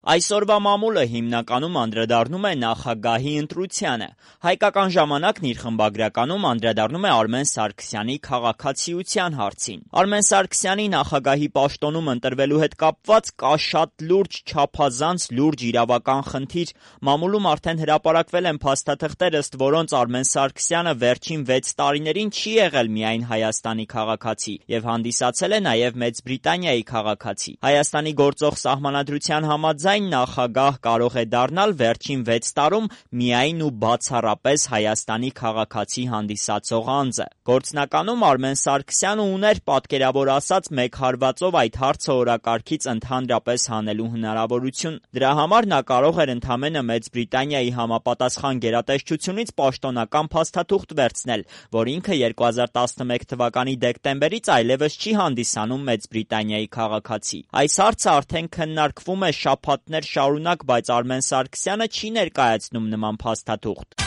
Այսօրվա մամուլը հիմնականում անդրադառնում է նախագահի ընտրությանը։ Հայկական ժամանակն իր խմբագրականում անդրադառնում է Արմեն Սարգսյանի քաղաքացիության հարցին։ Արմեն Սարգսյանի նախագահի պաշտոնում ընտրվելու հետ կապված կա շատ լուրջ, չափազանց լուրջ իրավական խնդիր։ Մամուլում արդեն հրապարակվել են փաստաթղթեր, ըստ որոնց Արմեն Սարգսյանը վերջին 6 տարիներին չի եղել միայն Հայաստանի քաղաքացի եւ հանդիսացել է նաեւ Մեծ Բրիտանիայի քաղաքացի։ Հայաստանի գործող սահմանադրության համաձայն նախագահ կարող է դառնալ վերջին 6 տարում միայն ու բացառապես Հայաստանի քաղաքացի հանդիսացող անձը։ Գործնականում Արմեն Սարգսյանը ուներ պատկերավոր ասած մեկ հարվածով այդ հարցը օրակարգից ընդհանրապես հանելու հնարավորություն։ Դրա համար նա կարող էր ընդամենը Մեծ Բրիտանիայի համապատասխան գերատեսչությունից պաշտոնական փաստաթուղթ վերցնել, որ ինքը 2011 թվականի դեկտեմբերից այլևս չի հանդիսանում Մեծ Բրիտանիայի քաղաքացի։ Այս հարցը արդեն քննարկվում է շաբաթներ շարունակ, բայց Արմեն Սարգսյանը չի ներկայացնում նման փաստաթուղթ։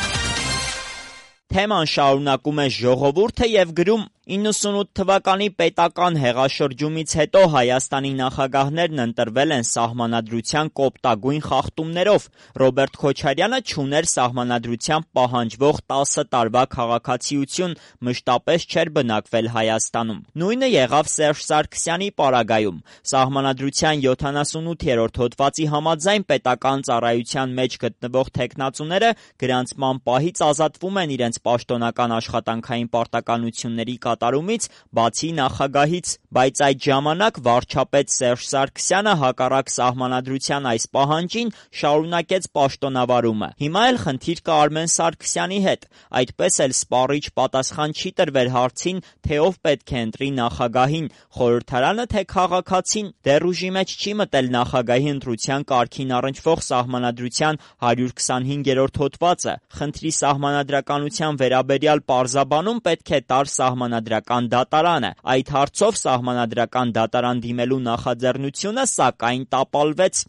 Թեման շարունակում է Ժողովուրդը եւ գրում. 98 թվականի պետական հեղաշրջումից հետո Հայաստանի նախագահներն ընտրվել են սահմանադրության կոպտագույն խախտումներով։ Ռոբերտ Քոչարյանը չուներ սահմանադրությամբ պահանջվող 10 տարվա քաղաքացիություն, մշտապես չէր բնակվել Հայաստանում։ Նույնը եղավ Սերժ Սարգսյանի պարագայում։ Սահմանադրության 78-րդ հոդվածի համաձայն պետական ծառայության մեջ գտնվող թեկնածուները գրանցման պահից ազատվում են իրենց պաշտոնական աշխատանքային պարտականությունների կատարումից, բացի նախագահից, բայց այդ ժամանակ վարչապետ Սերժ Սարգսյանը հակառակ սահմանադրության այս պահանջին շարունակեց պաշտոնավարումը։ Հիմա էլ խնդիր կա Արմեն Սարգսյանի հետ, այդպես էլ սպառիչ պատասխան չի տրվել հարցին, թե ով պետք է ընտրի նախագահին, խորհրդարանը թե քաղաքացին։ Դեռ ուժի մեջ չի մտել նախագահի ընտրության կարգին առնչվող սահմանադրության 125-րդ հոդվածը։ Խնդրի սահմանադրականության վերաբերյալ պարզաբանում պետք է տար սահմանադրական դատարանը։ Այդ հարցով սահմանադրական դատարան դիմելու նախաձեռնությունը սակայն տապալվեց։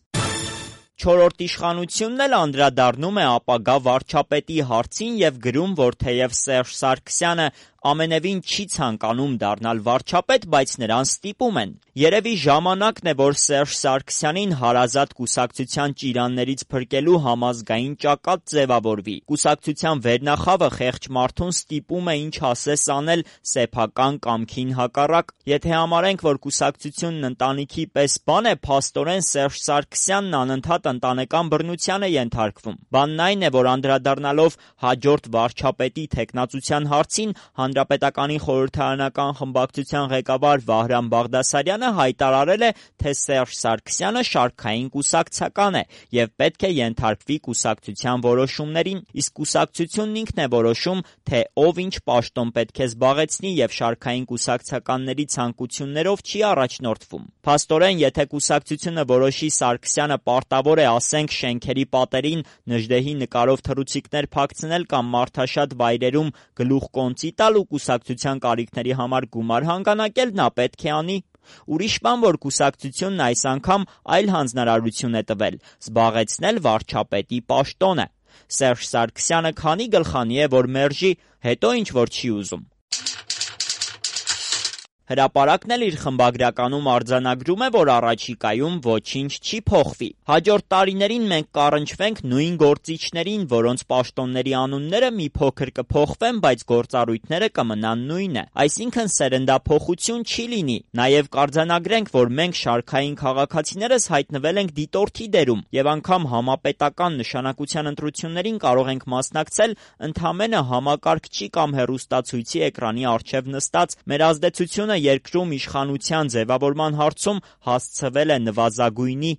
Չորրորդ իշխանությունն էլ անդրադառնում է ապագա վարչապետի հարցին եւ գրում, որ թեև Սերժ Սարգսյանը ամենևին չի ցանկանում դառնալ վարչապետ, բայց նրան ստիպում են։ Երևի ժամանակն է, որ Սերժ Սարգսյանին հարազատ կուսակցության ճիրաններից փրկելու համազգային ճակատ ձևավորվի։ Կուսակցության վերնախավը խեղճ մարդուն ստիպում է ինչ ասես անել սեփական կամքին հակառակ։ Եթե համարենք, որ կուսակցությունն ընտանիքի պես բան է, փաստորեն Սերժ Սարգսյանն անընդհատ ընտանեկան բռնության է ենթարկվում։ Բանն այն է, որ անդրադառնալով հաջորդ վարչապետի թեկնածության հարցին, Հանրապետականի խորհրդարանական խմբակցության ղեկավար Վահրամ Բաղդասարյանը հայտարարել է, թե Սերժ Սարգսյանը շարքային կուսակցական է եւ պետք է ենթարկվի կուսակցության որոշումներին, իսկ կուսակցությունն ինքն է որոշում, թե ով ինչ պաշտոն պետք է զբաղեցնի եւ շարքային կուսակցականների ցանկություններով չի առաջնորդվում։ Փաստորեն, եթե կուսակցությունը որոշի Սարգսյանը պարտավոր է, ասենք, շենքերի պատերին Նժդեհի նկարով թռուցիկներ փակցնել կամ մարդաշատ վայրերում գլուխկոնծի տալ ու կուսակցության կարիքների համար գումար հանգանակել, նա պետք է անի։ Ուրիշ բան, որ կուսակցությունն այս անգամ այլ հանձնարարություն է տվել՝ զբաղեցնել վարչապետի պաշտոնը։ Սերժ Սարգսյանը քանի գլխանի է, որ մերժի, հետո ինչ որ չի ուզում։ Հրապարակն էլ իր խմբագրականում արձանագրում է, որ առաջիկայում ոչինչ չի փոխվի։ Հաջորդ տարիներին մենք կառնչվենք նույն գործիչներին, որոնց պաշտոնների անունները մի փոքր կփոխվեն, բայց գործառույթները կմնան նույնը։ Այսինքն սերնդափոխություն չի լինի։ Նաև կարձանագրենք, որ մենք շարքային քաղաքացիներս հայտնվել ենք դիտորդի դերում եւ անգամ համապետական նշանակության ընտրություններին կարող ենք մասնակցել ընդամենը համակարգչի կամ հեռուստացույցի էկրանի առջև նստած։ Մեր ազդեցությունը երկրում իշխանության ձևավորման հարցում հասցվել է նվազագույնի